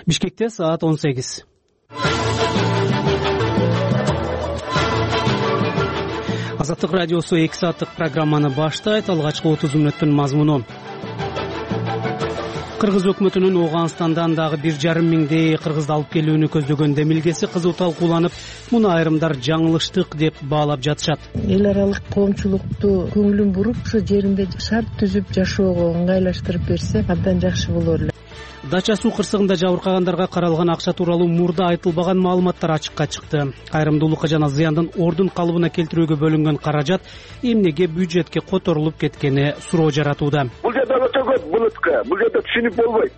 Бишкекте саат 18. Азаттык радиосу 2 сааттык программаны баштайт. Алгачкы 30 мүнөттүн мазмуну. Кыргыз өкмөтүнүн Ооганстандан дагы 1,5 миңдей кыргызды алып келүүнү көздөгөн демилгеси кызуу талкууланып, муну айрымдар жаңылыштык деп баалап жатышат. Эл аралык коомчулукту көңүлүн буруп, ошо жеринде шарт түзүп жашоого ыңгайлаштырып берсе, абдан жакшы болор эле. Дача суу кырсыгында жабыркагандарга каралган акча тууралуу мурда айтылбаган маалыматтар ачыкка чыкты. Кайрымдуулукка жана зыяндын ордун калыбына келтирүүгө бөлүнгөн каражат эмнеге бюджетке которулуп кеткени суроо жаратууда. Бул жерде өтө көп булутка, бул жерде түшүнүп болбойт.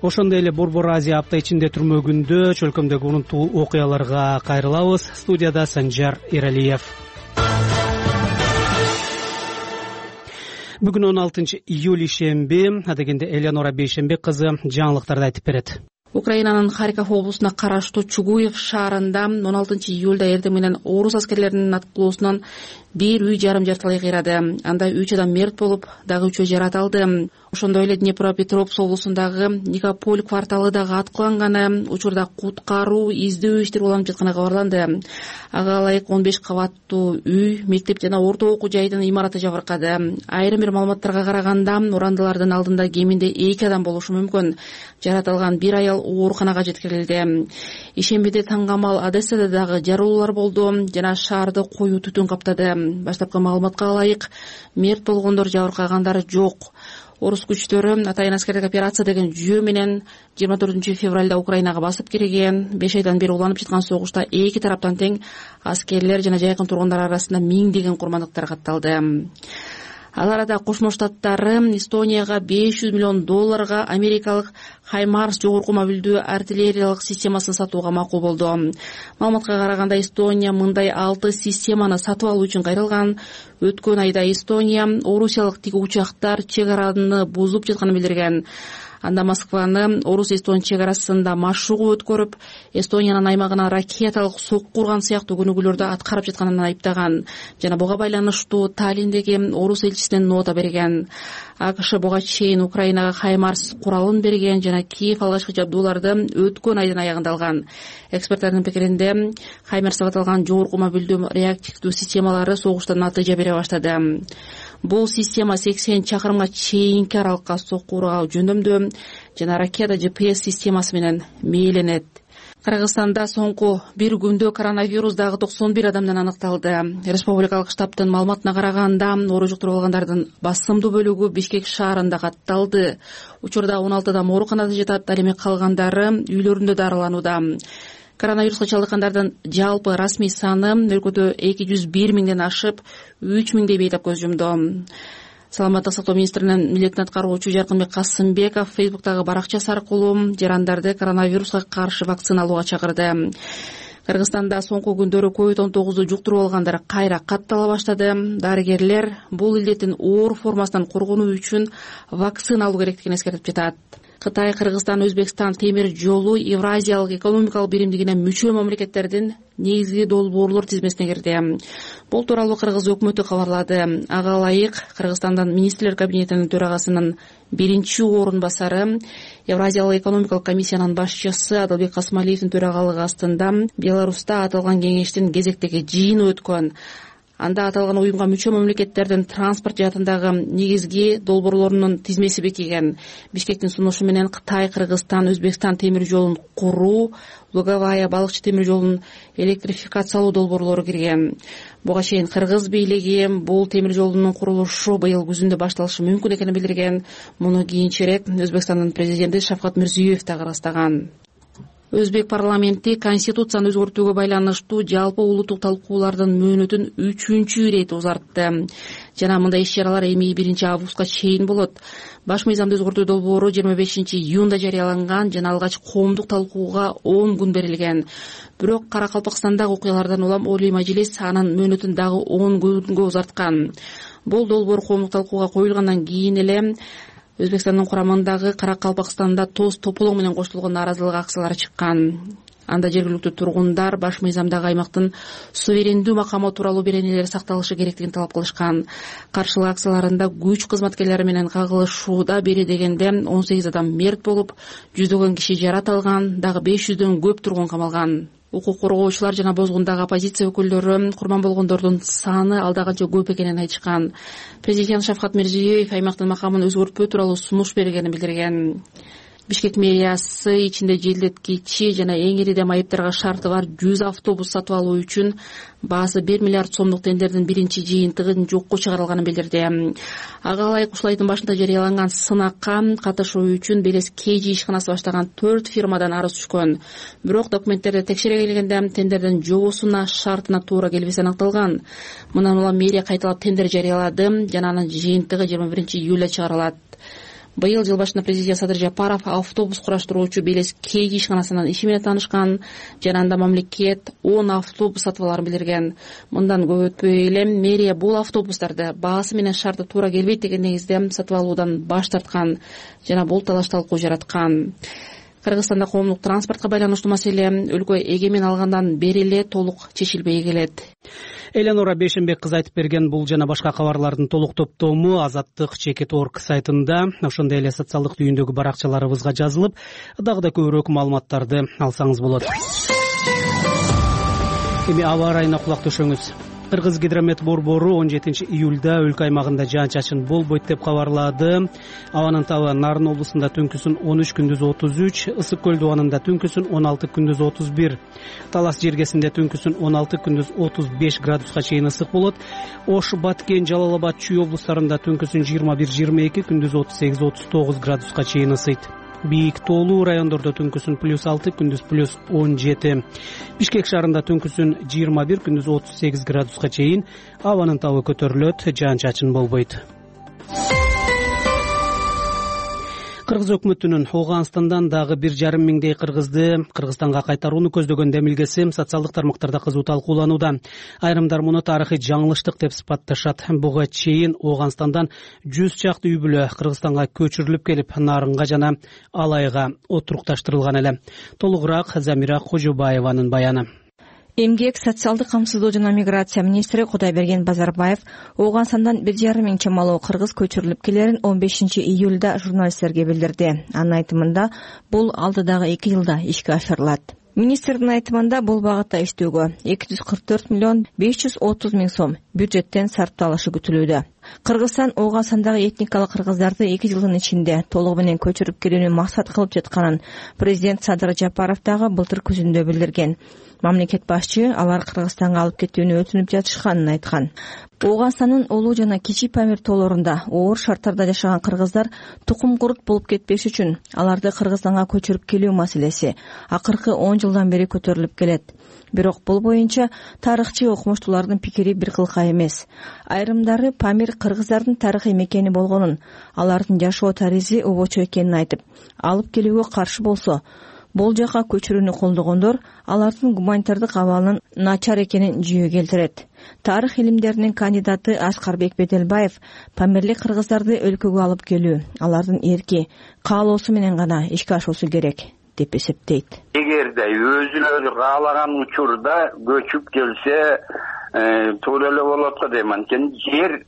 Ошондой эле Борбор Азия апта ичинде түрмөгүндө чөлкөмдөгү урунтуу окуяларга кайрылабыз. Студияда Санжар Эралиев. Бүгүн 16-июль ишемби, адегенде Элеонора Бейшембек кызы жаңылыктарды айтып берет. Украинанын Харьков облусуна караштуу Чугуев шаарында 16-июлда эртең менен орус аскерлеринин аткылоосунан бир үй жарым жартылай кыйрады. Анда 3 адам мерт болуп, дагы 3 жаратылды. Ошондой эле Днепропетровск облусундагы Никополь кварталы дагы аткыланганы, учурда куткаруу, издөө иштери уланып жатканы кабарланды. Ага ылайык 15 кабаттуу үй, мектеп жана орто окуу жайдын имараты жабыркады. Айрым бир маалыматтарга караганда, урандылардын алдында кеминде 2 адам болушу мүмкүн. Жаратылган бир аял ооруканага жеткирилди. Ишембиде таңгамал Одессада дагы жарылуулар болду жана шаарды коюу түтүн каптады. Баштапкы маалыматка ылайык, мерт болгондор, жабыркагандар жок. Орус күчтөрү атайын аскердик операция деген жүйө менен 24 февралда Украинага басып кирген. 5 айдан бери уланып жаткан согушта эки тараптан тең аскерлер жана жайкын тургундар арасында миңдеген курмандыктар катталды. Ал арада Кошмо Штаттары Эстонияга $500 миллион америкалык Хаймарс жогорку мобилдүү артиллериялык системасын сатууга макул болду. Маалыматка караганда Эстония мындай 6 системаны сатып алуу үчүн кайрылган. Өткөн айда Эстония орусиялык тиги учактар чек араны бузуп жатканын билдирген. Анда Москваны орус-эстон чек арасында машыгуу өткөрүп, Эстониянын аймагына ракеталык сокку урган сыяктуу күнүгүүлөрдү аткарып жатканын айыптаган жана буга байланыштуу Таллиндеги орус элчисине нота берген. АКШ буга чейин Украинага Хаймарс куралын берген жана Киев алгачкы жабдууларды өткөн айдын аягында алган. Эксперттардын пикиринде, Хаймарс деп аталган жогорку мобилдүү реактивдүү системалары согушта натыйжа бере баштады. Бул система 80 чакырымга чейинки аралыкка сокку ургау жөндөмдүү жана ракета GPS системасы менен мээленет. Кыргызстанда соңку бир күндө коронавирус дагы 91 адамдан аныкталды. Республикалык штабтын маалыматына караганда, оору жуктуруп алгандардын басымдуу бөлүгү Бишкек шаарында катталды. Учурда 16 адам ооруканада жатат, ал эми калгандары үйлөрүндө дарыланууда. Коронавируска чалдыккандардын жалпы расмий саны өлкөдө 201 миңден ашып, 3 миңдей бейтап көз жумду. Саламаттык сактоо министринин милдетин аткаруучу Жаркынбек Касымбеков Фейсбуктагы баракчасы аркылуу жарандарды коронавируска каршы вакцина алууга чакырды. Кыргызстанда соңку күндөрү COVID-19 жуктуруп алгандар кайра каттала баштады. Дарыгерлер бул илдеттин оор формасынан коргонуу үчүн вакцина алуу керектигин эскертип жатат. Кытай, Кыргызстан, Өзбекстан темир жолу Евразиялык экономикалык биримдигине мүчө мамлекеттердин негизги долбоорлор тизмесине кирди. Бул тууралуу Кыргыз өкмөтү кабарлады. Ага ылайык Кыргызстандын министрлер кабинетинин төрагасынын биринчи орун басары, Евразиялык экономикалык комиссиянын башчысы Адылбек Касмалиевдин төрагалыгы астында Беларуста аталган кеңештин кезектеги жыйыны өткөн. Анда аталган уюмга мүчө мамлекеттердин транспорт жаатындагы негизги долбоорлорунун тизмеси бекиген. Бишкектин сунушу менен Кытай, Кыргызстан, Өзбекстан темир жолун куруу, Луговая балыкчы темир жолун электрификациялоо долбоорлору кирген. Буга чейин Кыргыз бийлиги бул темир жолдун курулушу быйыл күзүндө башталышы мүмкүн экенин билдирген. Муну кийинчерээк Өзбекстандын президенти Шавкат Мирзиёев дагы ырастаган. Өзбек парламенти конституцияны өзгөртүүгө байланыштуу жалпы улуттук талкуулардын мөөнөтүн 3-чү ирет узартты. Жана мындай иш-чаралар эми 1 августка чейин болот. Баш мыйзамды өзгөртүү долбоору 25 июнда жарыяланган жана алгач коомдук талкууга 10 күн берилген. Бирок Каракалпакстандагы окуялардан улам Олий мажлис анын мөөнөтүн дагы 10 күнгө узарткан. Бул долбоор коомдук талкууга коюлгандан кийин эле Өзбекстандын курамындагы Каракалпакстанда тоз тополоң менен коштолгон нааразылык акциялары чыккан. Анда жергиликтүү тургундар баш мыйзамдагы аймактын суверендүү макамы тууралуу беренелери сакталышы керектигин талап кылышкан. Каршылык акцияларында күч кызматкерлери менен кагылышууда бери дегенде 18 адам мерт болуп, жүздөгөн киши жарат алган, дагы 500дөн көп тургун камалган. Укук коргоочулар жана бозгундагы оппозиция өкүлдөрү курман болгондордун саны алда канча көп экенин айтышкан. Президент Шавкат Мирзиёев аймактын макамын өзгөртпөө тууралуу сунуш бергенин билдирген. Бишкек мэриясы ичинде желдеткичи жана эң ири майыптарга шарты бар 100 автобус сатып алуу үчүн баасы 1 миллиард сомдук тендердин биринчи жыйынтыгын жокко чыгарылганын билдирди. Ага ылайык ушул айдын башында жарыяланган сынакка катышуу үчүн Белес KG ишканасы баштаган 4 фирмадан арыз түшкөн. Бирок документтерди текшере келгенде тендердин жобосуна шартына туура келбеси аныкталган. Мындан улам мэрия кайталап тендер жарыялады жана анын жыйынтыгы 21 июлда чыгарылат. Быйыл жыл башында президент Садыр Жапаров автобус кураштыруучу Белес KG ишканасынын иши менен таанышкан жана анда мамлекет 10 автобус сатып аларын билдирген. Мындан көп өтпөй эле мэрия бул автобустарды баасы менен шарты туура келбейт деген негизде сатып алуудан баш тарткан жана бул талаш талкуу жараткан. Кыргызстанда коомдук транспортко байланыштуу маселе өлкө эгемен алгандан бери эле толук чечилбей келет. Эленора Бейшенбек кызы айтып берген бул жана башка кабарлардын толук топтому Азаттык Чекит.org сайтында, ошондой эле социалдык түйүндөгү баракчаларыбызга жазылып, дагы да көбүрөөк маалыматтарды алсаңыз болот. Эми аба ырайына кулак төшөңүз. Кыргызгидромет борбору 17 июлда өлкө аймагында жаан-чачын болбойт деп кабарлады. Абанын табы Нарын облусунда түнкүсүн 13, күндүз 33, Ысык көл дубанында түнкүсүн 16, күндүз 31, Талас жергесинде түнкүсүн 16, күндүз 35 градуска чейин ысык болот. Ош, Баткен, Жалал Абад, Чүй облустарында түнкүсүн 21-22, күндүз 38-39 градуска чейин ысыйт. Бийик тоолуу райондордо түнкүсүн +6, күндүз +17. Бишкек шаарында түнкүсүн 21, күндүз 38 градуска чейин абанын табы көтөрүлөт, жаан-чачын болбойт. Кыргыз өкмөтүнүн Ооганстандан дагы 1,5 миңдей кыргызды Кыргызстанга кайтарууну көздөгөн демилгеси социалдык тармактарда кызуу талкууланууда. Айрымдар муну тарыхый жаңылыштык деп сыпатташат. Буга чейин Ооганстандан 100 чакты үй бүлө Кыргызстанга көчүрүлүп келип, Нарынга жана Алайга отурукташтырылган эле. Толугураак Замира Кожобаеванын баяны. Эмгек, социалдык камсыздоо жана миграция министри Кудайберген Базарбаев Ооганстандан 1,5 миң чамалуу кыргыз көчүрүлүп келерин 15 июлда журналисттерге билдирди. Анын айтымында бул алдыдагы 2 жылда ишке ашырылат. Министрдин айтымында бул багытта иштөөгө 244 миллион 530 миң сом бюджеттен сарпталышы күтүлүүдө. Кыргызстан Ооганстандагы этникалык кыргыздарды 2 жылдын ичинде толугу менен көчүрүп келүүнү максат кылып жатканын президент Садыр Жапаров дагы былтыр күзүндө билдирген. Мамлекет башчы алар Кыргызстанга алып кетүүнү өтүнүп жатышканын айткан. Ооганстандын Улуу жана Кичи Памир тоолорунда оор шарттарда жашаган кыргыздар тукум курут болуп кетпеш үчүн аларды Кыргызстанга көчүрүп келүү маселеси акыркы 10 жылдан бери көтөрүлүп келет. Бирок бул боюнча тарыхчы окумуштуулардын пикири бир кылка эмес. Айрымдары Памир кыргыздардын тарыхый мекени болгонун, алардын жашоо тарыхы обочо экенин айтып, алып келүүгө каршы болсо, бул жака көчүрүүнү колдогондор алардын гуманитардык абалынын начар экенин жүйө келтирет. Тарых илимдеринин кандидаты Аскарбек Беделбаев памирлик кыргыздарды өлкөгө алып келүү алардын эрки, каалоосу менен гана ишке ашуусу керек деп эсептейт. Эгерде өзүлөрү каалаган учурда көчүп келсе, туура эле болот го дейм. Анткени жер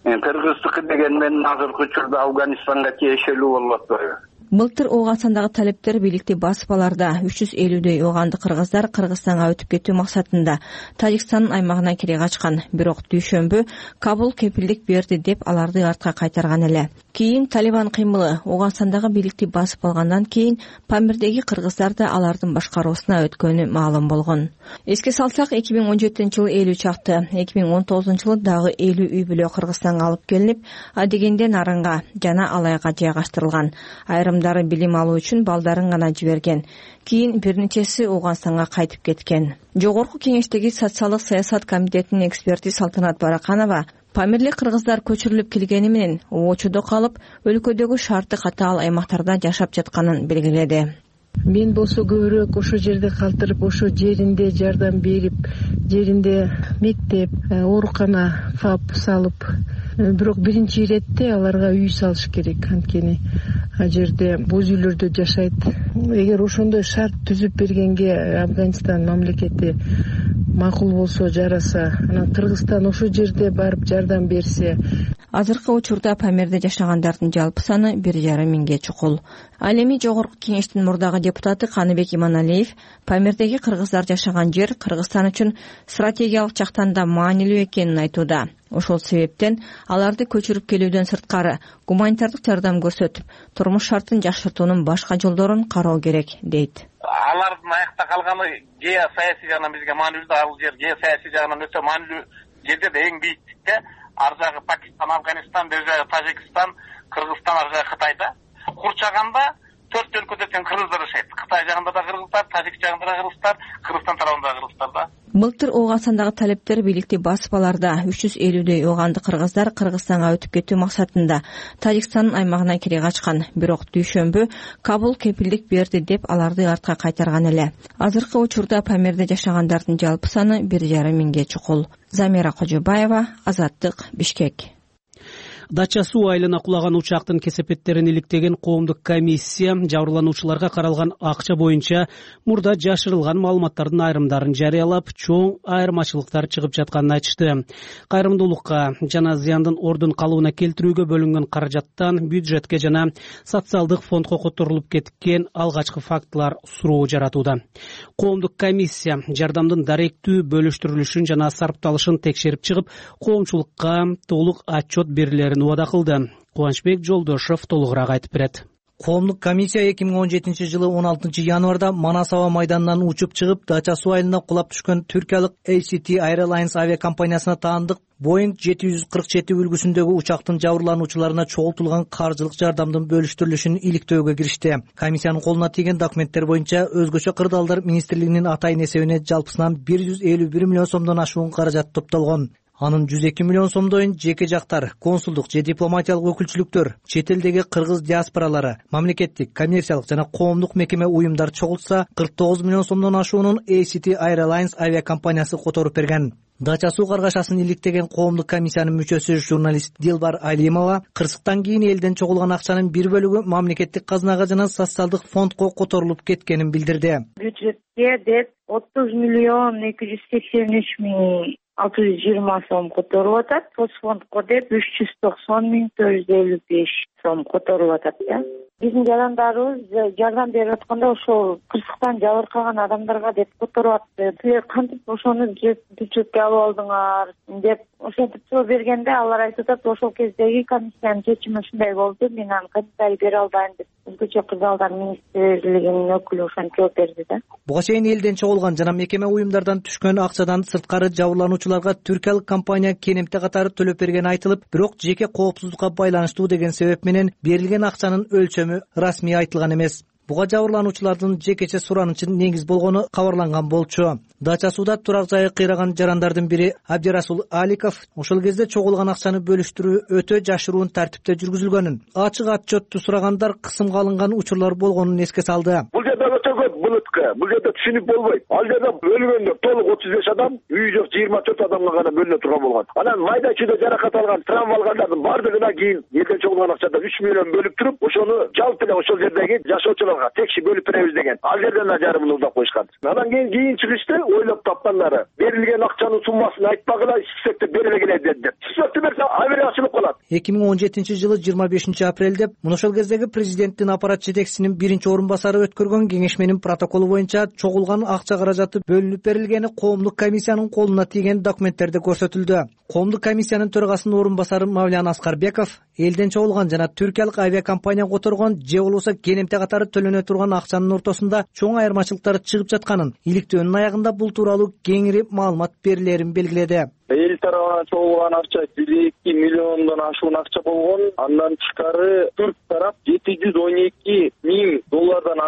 кыргыздыкы деген менен азыркы учурда Афганистанга тиешелүү болот атпайбы? Былтыр Ооганстандагы талептер бийликти басып аларда 350дөй ооганды кыргыздар Кыргызстанга өтүп кетүү максатында Тажикстандын аймагына кире качкан. Бирок дүйшөмбү Кабул кепилдик берди деп аларды артка кайтарган эле. Кийин Талибан кыймылы Ооганстандагы бийликти басып алгандан кийин Памирдеги кыргыздар да алардын башкаруусуна өткөнү маалым болгон. Эске салсак, 2017-жылы 50 чакты, 2019-жылы дагы 50 үй бүлө Кыргызстанга алып келинип, адегенде Нарынга жана Алайга жайгаштырылган. Айрымдары билим алуу үчүн балдарын гана жиберген. Кийин бир нечеси Ооганстанга кайтып кеткен. Жогорку кеңештеги социалдык саясат комитетинин эксперти Салтанат Бараканова памирлик кыргыздар көчүрүлүп келгени менен обочодо калып, өлкөдөгү шарты катаал аймактарда жашап жатканын белгиледи. Мен болсо көбүрөөк ошол жерде калтырып, ошол жеринде жардам берип, жеринде мектеп, оорукана, ФАП салып, бирок биринчи иретте аларга үй салыш керек. Анткени ал жерде боз үйлөрдө жашайт. Эгер ошондой шарт түзүп бергенге Афганистан мамлекети макул болсо, жараса, анан Кыргызстан ошол жерде барып жардам берсе. Азыркы учурда Памирде жашагандардын жалпы саны 1,5 миңге чукул. Ал эми Жогорку Кеңештин мурдагы депутаты Каныбек Иманалиев Памирдеги кыргыздар жашаган жер Кыргызстан үчүн стратегиялык жактан да маанилүү экенин айтууда. Ошол себептен аларды көчүрүп келүүдөн сырткары гуманитардык жардам көрсөтүп, турмуш шартын жакшыртуунун башка жолдорун кароо керек, дейт. Алардын аякта калганы геосаясий жагынан бизге маанилүү, ал жер геосаясий жагынан өтө маанилүү жерде да эң бийиктикте. Ар жагы Пакистан, Афганистан, бер жагы Тажикстан, Кыргызстан, ар жагы Кытайда. Курчаганда 4 өлкөдө тең кыргыздар жашайт. Кытай жагында да кыргыздар, Тажик жагында да кыргыздар, Кыргызстан тарабында да кыргыздар да. Былтыр ооған сандагы талептер бийликти басып аларда 350дөй ооганды кыргыздар Кыргызстанга өтүп кетүү максатында Тажикстандын аймагына кире качкан. Бирок дүйшөмбү Кабул кепилдик берди деп аларды артка кайтарган эле. Азыркы учурда Памирде жашагандардын жалпы саны 1,5 миңге чукул. Замира Кожобаева, Азаттык, Бишкек. Дача суу айылына кулаган учактын кесепеттерин иликтеген коомдук комиссия жабырлануучуларга каралган акча боюнча мурда жашырылган маалыматтардын айрымдарын жарыялап, чоң айырмачылыктар чыгып жатканын айтышты. Кайрымдуулукка жана зыяндын ордун калыбына келтирүүгө бөлүнгөн каражаттан бюджетке жана социалдык фондко которулуп кеткен алгачкы фактылар суроо жаратууда. Коомдук комиссия жардамдын даректүү бөлүштүрүлүшүн жана сарпталышын текшерип чыгып, коомчулукка толук отчет берилерин убада кылды. Кубанычбек Жолдошов толугураак айтып берет. Коомдук комиссия 2017-жылы 16-январда Манас аба майданынан учуп чыгып, Дача суу айылына кулап түшкөн түркиялык ACT Airlines авиакомпаниясына таандык Boeing 747 үлгүсүндөгү учактын жабырлануучуларына чогултулган каржылык жардамдын бөлүштүрүлүшүн иликтөөгө киришти. Комиссиянын колуна тийген документтер боюнча өзгөчө кырдаалдар министрлигинин атайын эсебине жалпысынан 151 миллион сомдон ашуун каражат топтолгон. Анын 102 миллион сомдойн жеке жактар, консулдук же дипломатиялык өкүлчүлүктөр, чет элдеги кыргыз диаспоралары, мамлекеттик, коммерциялык жана коомдук мекеме уюмдар чогултса, 49 миллион сомдон ашуунун ACT Airlines авиакомпаниясы которуп берген. Дача суу каргашасын иликтеген коомдук комиссиянын мүчөсү журналист Дилбар Алимова кырсыктан кийин элден чогулган акчанын бир бөлүгү мамлекеттик казынага жана социалдык фондко которулуп кеткенин билдирди. Бюджетке деп 30 миллион 283 миң 620 сом которулуп атат. Соцфондко деп 390 миң 455 сом которулуп атат. Биздин жарандарыбыз жардам берип атканда ошол кырсыктан жабыркаган адамдарга деп которуп атты. Силер кантип ошону бюджетке алып алдыңар деп ошентип суроо бергенде алар айтып атат, ошол кездеги комиссиянын чечими ушундай болду, мен аны комментарий бере албайм деп. Өзгөчө кырдаалдар министрлигинин өкүлү ошентип жооп берди да. Буга чейин элден чогулган жана мекеме уюмдардан түшкөн акчадан сырткары жабырлануучуларга түркиялык компания кенемте катары төлөп бергени айтылып, бирок жеке коопсуздукка байланыштуу деген себеп менен берилген акчанын өлчөмү расмий айтылган эмес. Буга жабырлануучулардын жекече суранычын негиз болгону кабарланган болчу. Дача сууда турак жайы кыйраган жарандардын бири Абдирасул Аликов ошол кезде чогулган акчаны бөлүштүрүү өтө жашыруун тартипте жүргүзүлгөнүн, ачык отчетту сурагандар кысымга алынган учурлар болгонун эске салды. Бул жерде өтө көп булутка, бул жерде түшүнүп болбойт. Ал жерде өлгөндөр толук 35 адам, үй жок 24 адамга гана бөлүнө турган болгон. Анан майда чүйдө жаракат алган, травма алгандардын бардыгына кийин элден чогулган акчадан 3 миллион бөлүп туруп, ошону жалпы эле ошол жердеги жашоочуларга текши бөлүп беребиз деген. Ал жерден да жарымын улдап коюшкан. Анан кийин чыгышты ойлоп тапкандары берилген акчанын суммасын айтпагыла, спектр бериле келет деп. Спектр берсе авиа ачылып калат. 2017-жылы 25 апрелде ошол кездеги президенттин аппарат жетекчисинин биринчи орун басары өткөргөн кеңешменин протоколу боюнча чогулган акча каражаты бөлүнүп берилгени коомдук комиссиянын колуна тийген документтерде көрсөтүлдү. Коомдук комиссиянын төрагасынын орун басары Мавлян Аскарбеков элден чогулган жана түркиялык авиакомпания которгон же болбосо кенемте катары төлөнө турган акчанын ортосунда чоң айырмачылыктар чыгып жатканын, иликтөөнүн аягында бул тууралуу кеңири маалымат берилерин белгиледи. Эл тарабынан чогулган акча 1-2 миллиондон ашуун акча болгон. Андан тышкары түрк тарап $712 миң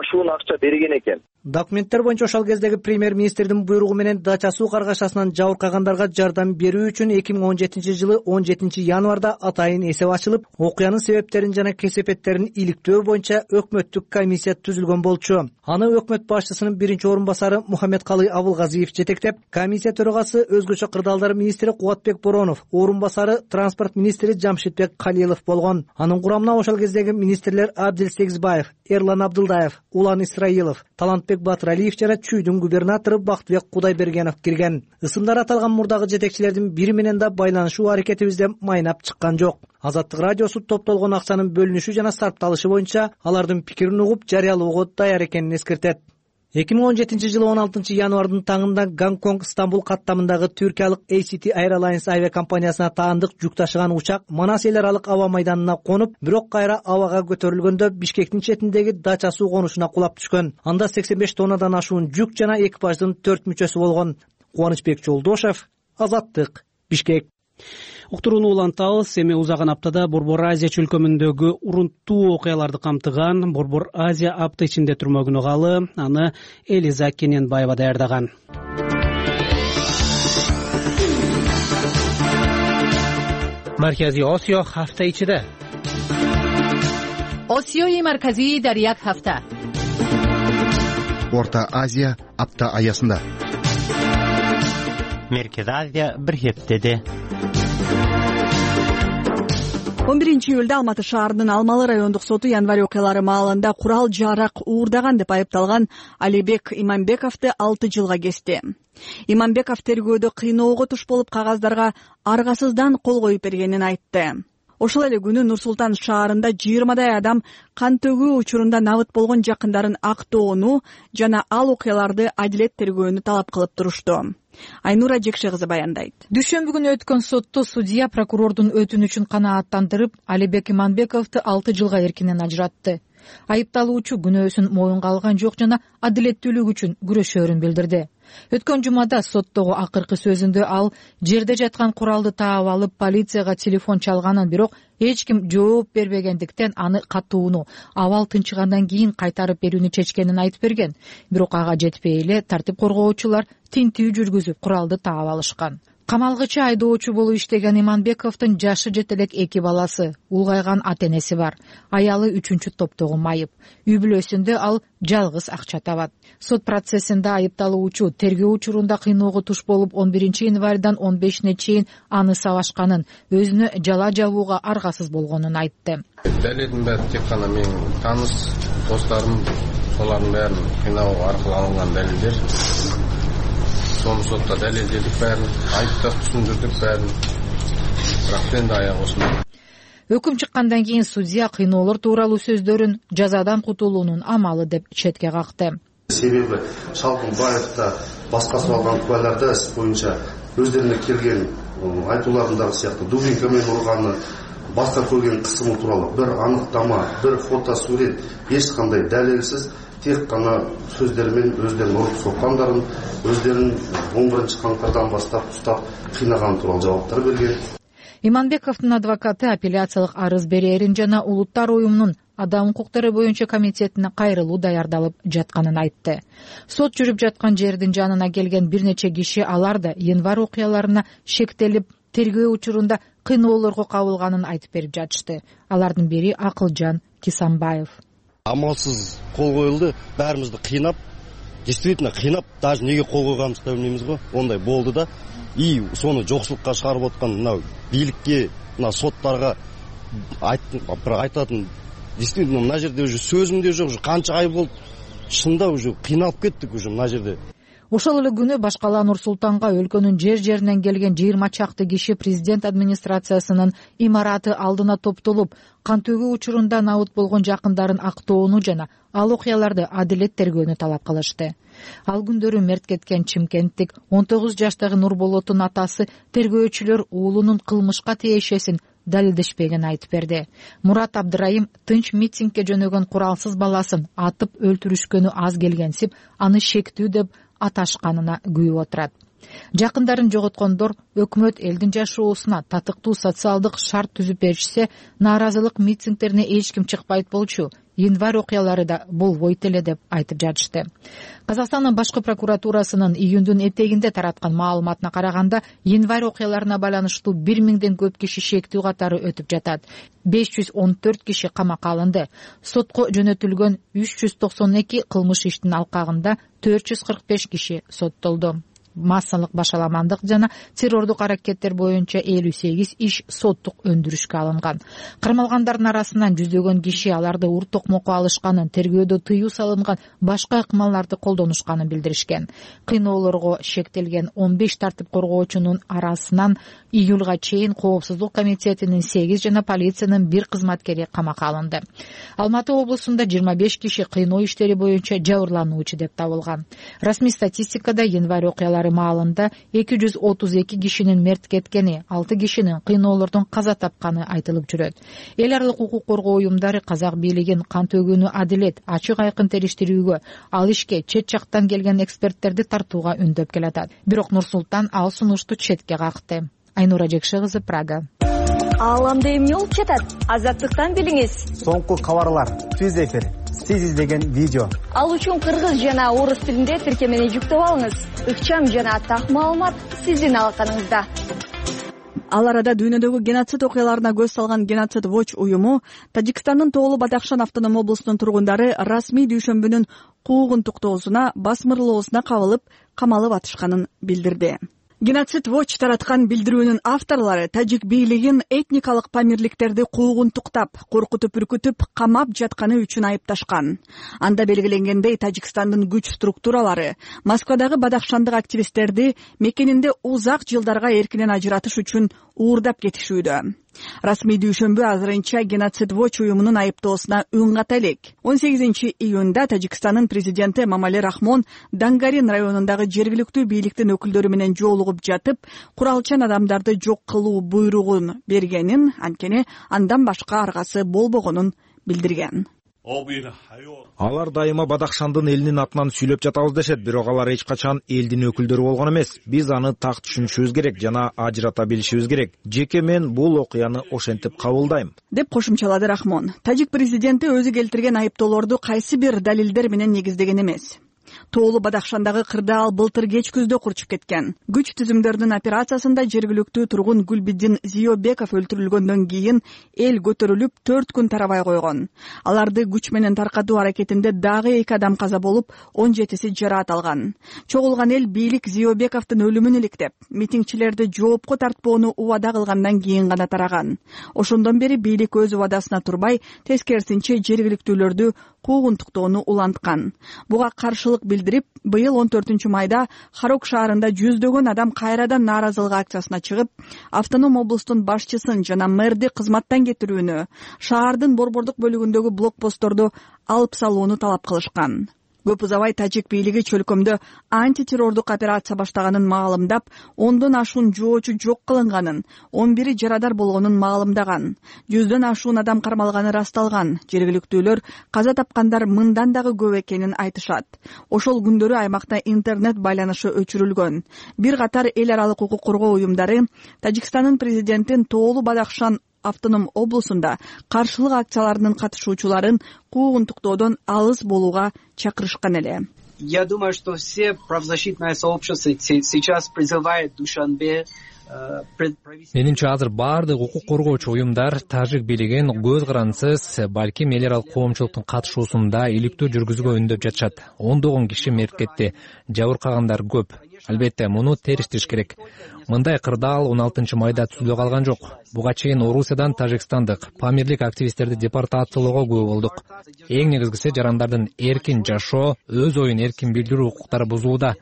ашуун акча берген экен. Документтер боюнча ошол кездеги премьер-министрдин буйругу менен Дача суу каргашасынан жабыркагандарга жардам берүү үчүн 2017-жылы 17-январда атайын эсеп ачылып, окуянын себептерин жана кесепеттерин иликтөө боюнча өкмөттүк комиссия түзүлгөн болчу. Аны өкмөт башчысынын биринчи орун басары Мухаммедкалый Абылгазиев жетектеп, комиссия төрагасы өзгөчө кырдаалдар министри Кубатбек Боронов, орун басары транспорт министри Жамшитбек Калилов болгон. Анын курамына ошол кездеги министрлер Абдил Сегизбаев, Эрлан Абдылдаев, Улан Исраилов, Талантбек Батыралиев жана Чүйдүн губернатору Бактыбек Кудайбергенов кирген. Ысымдар аталган мурдагы жетекчилердин бири менен да байланышуу аракетибизде майнап чыккан жок. Азаттык радиосу топтолгон акчанын бөлүнүшү жана сарпталышы боюнча алардын пикирин угуп жарыялоого даяр экенин эскертет. 2017-жылы 16-январдын таңында Гонконг Стамбул каттамындагы түркиялык ACT Airlines авиакомпаниясына таандык жүк ташыган учак Манас эл аралык аба майданына конуп, бирок кайра абага көтөрүлгөндө Бишкектин четиндеги Дача суу конушуна кулап түшкөн. Анда 85 тоннадан ашуун жүк жана экипаждын 4 мүчөсү болгон. Кубанычбек Жолдошев, Азаттык, Бишкек. Уктурууну улантабыз. Эми узаган аптада Борбор Азия чөлкөмүндөгү урунттуу окуяларды камтыган Борбор Азия апта ичинде түрмөгүнө калы. Аны Элиза Кененбаева даярдаган. Маркази Осиё ҳафта ичида. Осиёи марказӣ дар як ҳафта. Орта Азия апта аясында. Меркези Азия бир хептеде. 11-июлда Алматы шаарынын Алмалы райондук соту январь окуялары маалында курал-жарак уурдаган деп айыпталган Алибек Иманбековду 6 жылга кести. Иманбеков тергөөдө кыйноого туш болуп кагаздарга аргасыздан кол коюп бергенин айтты. Ошол эле күнү Нур-Султан шаарында 20дай адам кан төгүү учурунда набыт болгон жакындарын актоону жана ал окуяларды адилет тергөөнү талап кылып турушту. Айнура Жекше кызы баяндайт. Дүйшөмбү күнү өткөн сотто судья прокурордун өтүнүчүн канааттандырып, Алибек Иманбековду 6 жылга эркинен ажыратты. Айыпталуучу күнөөсүн моюнга алган жок жана адилеттүүлүк үчүн күрөшөөрүн билдирди. Өткөн жумада соттогу акыркы сөзүндө ал жерде жаткан куралды таап алып полицияга телефон чалганын, бирок эч ким жооп бербегендиктен аны катууну абал тынчыгандан кийин кайтарып берүүнү чечкенин айтып берген. Бирок ага жетпей эле тартип коргоочулар тинтүү жүргүзүп куралды таап алышкан. Камалгычы айдоочу болуп иштеген Иманбековдун жашы жете элек 2 баласы, улгайган ата-энеси бар. Аялы 3-чү топтогу майып. Үй бүлөсүндө ал жалгыз акча табат. Сот процессинде айыпталуучу тергөө учурунда кыйноого туш болуп 11-январдан 15-ине чейин аны сабашканын, өзүнө жала жабууга аргасыз болгонун айтты. Далилдин баары тек гана менин тааныс досторум, солардын баарын кыйноо аркылуу алынган далилдер. Сону сотто далилдедик баарын, айыптап түшүндүрдүк баарын. Бирок енді аяк осундай. Өкүм чыккандан кийин судья кыйноолор тууралуу сөздөрүн жазадан кутулуунун амалы деп четке какты. Себеби Шалкын Баевда баскасы алган куаларда иш боюнча өздөрүнө келген айтууларындагы сыяктуу дубинкамен урганы, башка көрген кысымы тууралуу бир аныктама, бир фото сурет, эч кандай далилсиз тек гана сөздөрү өздөрүн уруп соккандарын, өздөрүн 11-камкардан баштап уштап кыйнаган тууралуу жабаптар берген. Иманбековдун адвокаты апелляциялык арыз берерин жана Улуттар уюмунун адам укуктары боюнча комитетине кайрылуу даярдалып жатканын айтты. Сот жүрүп жаткан жердин жанына келген бир нече киши алар да январь окуяларына шектелип, тергөө учурунда кыйноолорго кабылганын айтып берип жатышты. Алардын бири Акылжан Кисанбаев. Амалсыз кол коюлду, баарыбызды кыйнап, действительно кыйнап, даже неге кол койганыбызды да билбейбиз го. Ондай болду да. И сону жоксулукка чыгарып аткан мына бийликке, мына соттарга айтатын, действительно мына жерде уже сөзүм де жок, уже канча ай болду. Шында уже кыйналып кеттик уже мына жерде. Ошол эле күнү башкала Нур-Султанга өлкөнүн жер-жеринен келген 20 чакты киши президент администрациясынын имараты алдына топтолуп, кан төгүү учурунда набыт болгон жакындарын актоону жана ал окуяларды адилет тергөөнү талап кылышты. Ал күндөрү мерт кеткен чимкенттик 19 жаштагы Нурболоттун атасы тергөөчүлөр уулунун кылмышка тиешесин далилдешпеген айтып берди. Мурат Абдырайым тынч митингге жөнөгөн куралсыз баласын атып өлтүрүшкөнү аз келгенсип, аны шектүү деп аташканына күйүп отурат. Жакындарын жоготкондор өкмөт элдин жашоосуна татыктуу социалдык шарт түзүп беришсе, нааразылык митингдерине эч ким чыкпайт болчу. январь окуялары да болбойт эле деп айтып жатышты. Казакстандын башкы прокуратурасынын июндун этегинде тараткан маалыматына караганда, январь окуяларына байланыштуу 1000ден көп киши шектүү катары өтүп жатат. 514 киши камакка алынды. Сотко жөнөтүлгөн 392 кылмыш иштин алкагында 445 киши соттолду. Массалык башаламандык жана террордук аракеттер боюнча 58 иш соттук өндүрүшкө алынган. Кармалгандардын арасынан жүздөгөн киши аларды ур токмокко алышканын, тергөөдө тыюу салынган башка ыкмаларды колдонушканын билдиришкен. Кыйноолорго шектелген 15 тартип коргоочунун арасынан июлга чейин Коопсуздук комитетинин 8 жана полициянын 1 кызматкери камакка алынды. Алматы облусунда 25 киши кыйноо иштери боюнча жабырлануучу деп табылган. Расмий статистикада январь окуялары маалында 232 кишинин мерт кеткени, 6 кишинин кыйноолордон каза тапканы айтылып жүрөт. Эл аралык укук коргоо уюмдары казак бийлигин кан төгүүнү адилет, ачык айкын териштирүүгө, ал ишке чет жактан келген эксперттерди тартууга үндөп келатат. Бирок Нур-Султан ал сунушту четке какты. Айнура Жекше кызы, Прага. Ааламда эмне болуп жатат? Азаттыктан билиңиз. Соңку кабарлар, түз эфир, сиз издеген видео. Ал үчүн кыргыз жана орус тилинде тиркемени жүктөп алыңыз. Ыкчам жана так маалымат сиздин алаканыңызда. Ал арада дүйнөдөгү геноцид окуяларына көз салган Геноцид Watch уюму Тажикстандын Тоолу Бадахшан автоном облусунун тургундары расмий дүйшөмбүнүн куугун туктоосуна, басмырлоосуна кабылып, камалып атышканын билдирди. Геноцид Watch тараткан билдирүүнүн авторлору тажик бийлигин этникалык памирликтерди куугун туктап, коркутуп үркүтүп, камап жатканы үчүн айыпташкан. Анда белгиленгендей, Тажикстандын күч структуралары Москвадагы бадахшандык активисттерди мекенинде узак жылдарга эркинен ажыратыш үчүн уурдап кетишүүдө. Расмий дүйшөмбү азырынча Геноцид Watch уюмунун айыптоосуна үн ката элек. 18 июнда Тажикстандын президенти Эмомали Рахмон Дангарин районундагы жергиликтүү бийликтин өкүлдөрү менен жолугуп жатып, куралчан адамдарды жок кылуу буйругун бергенин, анткени андан башка аргасы болбогонун билдирген. Алар дайыма Бадахшандын элинин атынан сүйлөп жатабыз дешет, бирок алар эч качан элдин өкүлдөрү болгон эмес. Биз аны так түшүнүшүбүз керек жана ажырата билишибиз керек. Жеке мен бул окуяны ошентип кабылдайм, деп кошумчалады Рахмон. Тажик президенти өзү келтирген айыптоолорду кайсы бир далилдер менен негиздеген эмес. Тоолу Бадахшандагы кырды ал былтыр кеч күздө курчуп кеткен. Күч түзүмдөрүнүн операциясында жергиликтүү тургун Гүлбиддин Зиёбеков өлтүрүлгөндөн кийин эл көтөрүлүп 4 күн тарабай койгон. Аларды күч менен таркатуу аракетинде дагы 2 адам каза болуп, 17си жараат алган. Чогулган эл бийлик Зиёбековдун өлүмүн иликтеп, митингчилерди жоопко тартпоону убада кылгандан кийин гана тараган. Ошондон бери бийлик өз убадасына турбай, тескерисинче жергиликтүүлөрдү куугунтуктоону уланткан. Буга каршылык билдирип, быйыл 14-майда Харок шаарында жүздөгөн адам кайрадан нааразылык акциясына чыгып, автоном облустун башчысын жана мэрди кызматтан кетирүүнү, шаардын борбордук бөлүгүндөгү блокпостторду алып салууну талап кылышкан. Көп узабай тажик бийлиги чөлкөмдө антитеррордук операция баштаганын маалымдап, 10дон ашуун жоочу жок кылынганын, 11 жарадар болгонун маалымдаган. 100дөн ашуун адам кармалганы расталган. Жергиликтүүлөр каза тапкандар мындан дагы көп экенин айтышат. Ошол күндөрү аймакта интернет байланышы өчүрүлгөн. Бир катар эл аралык укук коргоо уюмдары Тажикстандын президентин Тоолу Бадахшан автоном облусунда каршылык акцияларынын катышуучуларын куугунтуктоодон алыс болууга чакырышкан эле. Я думаю, что все правозащитное сообщество сейчас призывает Душанбе. Менимче азыр баардык укук коргоочу уюмдар тажик бийлигин көз карансыз, балким эл аралык коомчулуктун катышуусунда иликтөө жүргүзүүгө үндөп жатышат. 10 киши мерт кетти, жабыркагандар көп. Албетте, муну териштириш керек. Мындай кырдаал 16-майда түзүлө калган жок. Буга чейин Орусиядан Тажикстандык памирлик активисттерди депортациялоого күбө болдук. Эң негизгиси жарандардын эркин жашоо, өз оюн эркин билдирүү укуктары бузууда.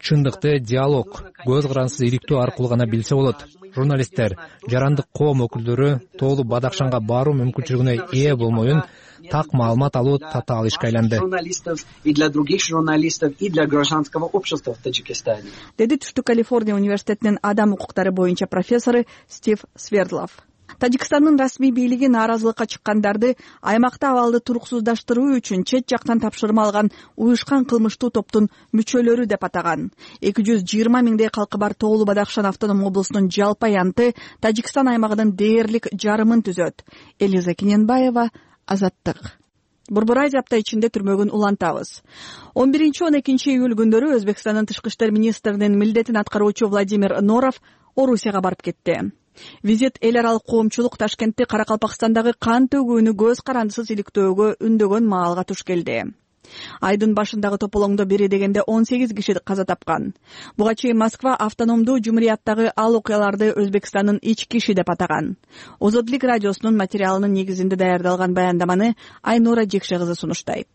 Чындыкты диалог, көз карансыз иликтөө аркылуу гана билсе болот. Журналисттер, жарандык коом өкүлдөрү Тоолу Бадахшанга баруу мүмкүнчүлүгүнө ээ болмоюн так маалымат алуу татаал ишке айланды. Журналистов и для других журналистов и для гражданского общества в Таджикистане. Деди Түштүк Калифорния университетинин адам укуктары боюнча профессору Стив Свердлов. Тажикстандын расмий бийлиги нааразылыкка чыккандарды аймакта абалды туруксуздаштыруу үчүн чет жактан тапшырма алган уюшкан кылмыштуу топтун мүчөлөрү деп атаган. 220 миңдей калкы бар Тоолу Бадахшан автоном облусунун жалпы аянты Тажикстан аймагынын дээрлик жарымын түзөт. Элиза Кененбаева, Азаттык. Борбор Азия апта ичинде түрмөгүн улантабыз. 11-12 июль күндөрү Өзбекстандын тышкы иштер министринин милдетин аткаруучу Владимир Норов Орусияга барып кетти. Визит эл аралык коомчулук Ташкентти Каракалпакстандагы кан төгүүнү көз карандысыз иликтөөгө үндөгөн маалга туш келди. Айдын башындагы тополоңдо бери дегенде 18 киши каза тапкан. Буга чейин Москва автономдуу жумурияттагы ал окуяларды Өзбекстандын ички иши деп атаган. Озодлук радиосунун материалынын негизинде даярдалган баяндаманы Айнура Жекше кызы сунуштайт.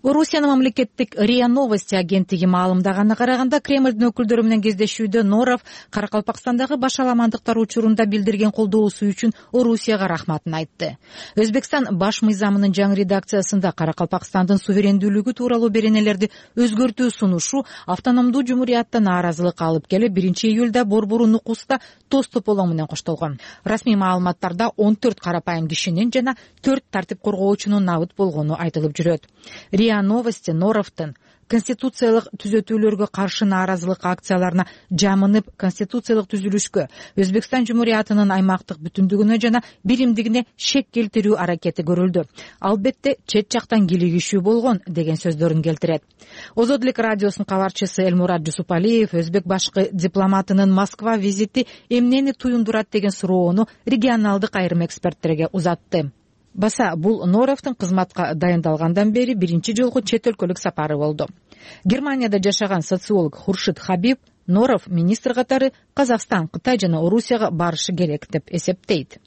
Орусиянын мамлекеттик РИА Новости агенттиги маалымдаганына караганда, Кремлдин өкүлдөрү менен кездешүүдө Норов Каракалпакстандагы башаламандыктар учурунда билдирген колдоосу үчүн Орусияга рахматын айтты. Өзбекстан баш мыйзамынын жаңы редакциясында Каракалпакстандын суверендүүлүгү тууралуу беренелерди өзгөртүү сунушу автономдуу жумурияттан нааразылык алып келип, 1-июлда Борбору Нукуста тоз тополоң менен коштолгон. Расмий маалыматтарда 14 карапайым кишинин жана 4 тартип коргоочунун набыт болгону айтылып жүрөт. РИА Новости Норовдун конституциялык түзөтүүлөргө каршы нааразылык акцияларына жамынып, конституциялык түзүлүшкө, Өзбекстан жумуриятынын аймактык бүтүндүгүнө жана биримдигине шек келтирүү аракети көрүлдү. Албетте чет жактан кийлигишүү болгон деген сөздөрүн келтирет. Озодлук радиосунун кабарчысы Элмурат Жусупалиев өзбек башкы дипломатынын Москва визити эмнени туюндурат деген суроону регионалдык айрым эксперттерге узатты. Баса бул Норовдун кызматка дайындалгандан бери биринчи жолку чет өлкөлүк сапары болду. Германияда жашаган социолог Хуршид Хабиб Норов министр катары Казакстан, Кытай жана Орусияга барышы керек деп эсептейт.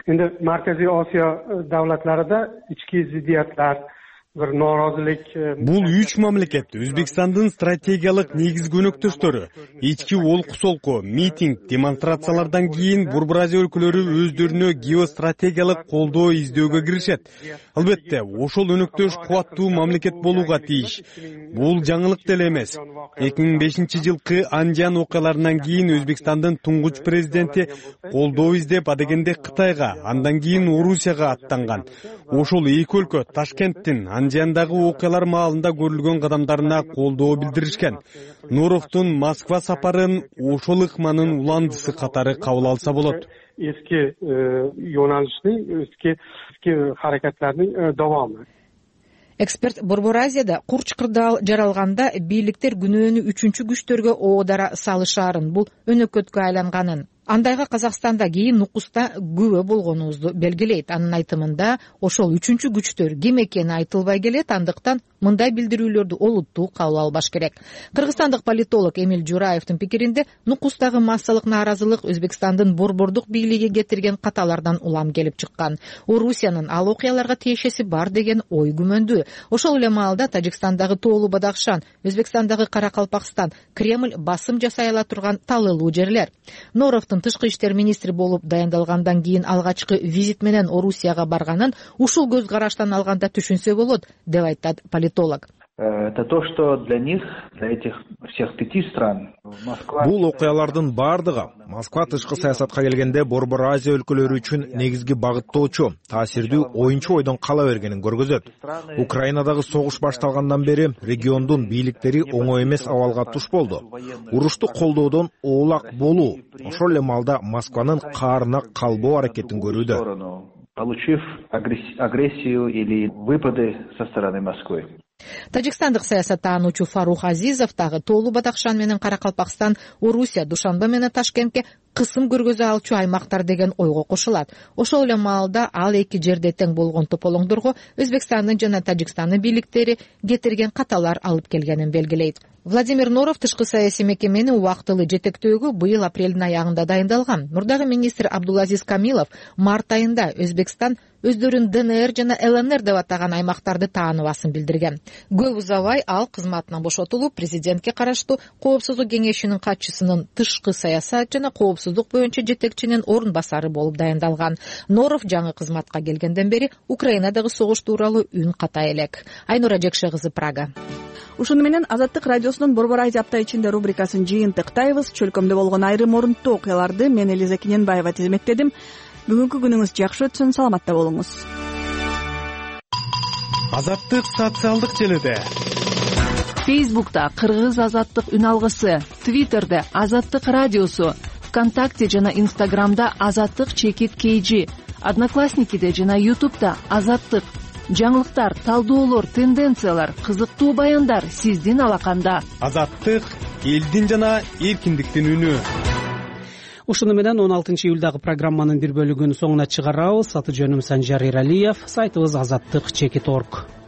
Эми Марказий Осиё давлатларында ички зиддиятлар, бир норозулук. Бул 3 мамлекет Өзбекстандын стратегиялык негизги өнөктөштөрү. Ички олку-солку, митинг, демонстрациялардан кийин Борбор Азия өлкөлөрү өздөрүнө геостратегиялык колдоо издөөгө киришет. Албетте, ошол өнөктөш кубаттуу мамлекет болууга тийиш. Бул жаңылык деле эмес. 2005-жылкы Анжан окуяларынан кийин Өзбекстандын туңгуч президенти колдоо издеп адегенде Кытайга, андан кийин Орусияга аттанган. Ошол эки өлкө Ташкенттин Анжандагы окуялар маалында көрүлгөн кадамдарына колдоо билдиришкен. Норовдун Москва сапарын ошол ыкманын уландысы катары кабыл алса болот. Eski yo'nalishning, eski harakatlarning davomi. Эксперт Борбор Азияда курч кырдаал жаралганда бийликтер күнөөнү үчүнчү күчтөргө оодара салышаарын, бул өнөкөткө айланганын, андайга Казакстанда кийин Нукуста күбө болгонубузду белгилейт. Анын айтымында ошол үчүнчү күчтөр ким экени айтылбай келет, андыктан мындай билдирүүлөрдү олуттуу кабыл албаш керек. Кыргызстандык политолог Эмиль Жураевдин пикиринде, Нукустагы массалык нааразылык Өзбекстандын борбордук бийлиги кетирген каталардан улам келип чыккан. Орусиянын ал окуяларга тиешеси бар деген ой күмөндүү. Ошол эле маалда Тажикстандагы Тоолу Бадахшан, Өзбекстандагы Каракалпакстан, Кремль басым жасай ала турган талыылуу жерлер. Норовдун тышкы иштер министри болуп дайындалгандан кийин алгачкы визит менен Орусияга барганын ушул көз караштан алганда түшүнсө болот, деп айтат политолог. Это то, что для них, для этих всех 5 стран, Москва... Бул окуялардын бардыгы Москва тышкы саясатка келгенде Борбор Азия өлкөлөрү үчүн негизги багыттоочу, таасирдүү оюнчу ойдон кала бергенин көргөзөт. Украинадагы согуш башталгандан бери региондун бийликтери оңой эмес абалга туш болду. Урушту колдоодон оолак болуу, ошол эле маалда Москванын каарына калбоо аракетин көрүүдө. Получив агрессию или выпады со стороны Москвы. Тажикстандык саясаттануучу Фарух Азизов дагы Тоолу Бадахшан менен Каракалпакстан, Орусия, Душанбе менен Ташкентке кысым көргөзө алчу аймактар деген ойго кошулат. Ошол эле маалда ал эки жерде тең болгон тополоңдорго Өзбекстандын жана Тажикстандын бийликтери кетирген каталар алып келгенин белгилейт. Владимир Норов тышкы саясий мекемени убактылуу жетектөөгө быйыл апрелдин аягында дайындалган. Мурдагы министр Абдулазиз Камилов март айында Өзбекстан өздөрүн ДНР жана ЛНР деп атаган аймактарды тааныбасын билдирген. Көп узабай ал кызматынан бошотулуп, президентке караштуу Коопсуздук кеңешинин катчысынын тышкы саясат жана коопсуздук боюнча жетекчинин орун басары болуп дайындалган. Норов жаңы кызматка келгенден бери Украинадагы согуш тууралуу үн ката элек. Айнура Жекше кызы, Прага. Ушуну менен Азаттык радиосунун Борбор Азия апта ичинде рубрикасын жыйынтыктайбыз. Чөлкөмдө болгон айрым орунттуу окуяларды мен Элиза Кененбаева тизмектедим. Бүгүнкү күнүңүз жакшы өтсүн, саламатта болуңуз. Азаттык социалдык желиде. Фейсбукта Кыргыз азаттык үн алгысы, Твиттерде Азаттык радиосу, ВКонтакте жана Инстаграмда Азаттык _KG, Одноклассникиде жана Ютубта Азаттык. жаңылыктар, талдоолор, тенденциялар, кызыктуу баяндар сиздин алаканда. Азаттык — элдин жана эркиндиктин үнү. Ушуну менен 16 июлдагы программанын бир бөлүгүн соңуна чыгарабыз. Аты жөнүм Санжар Эралиев. Сайтыбыз азаттык.org.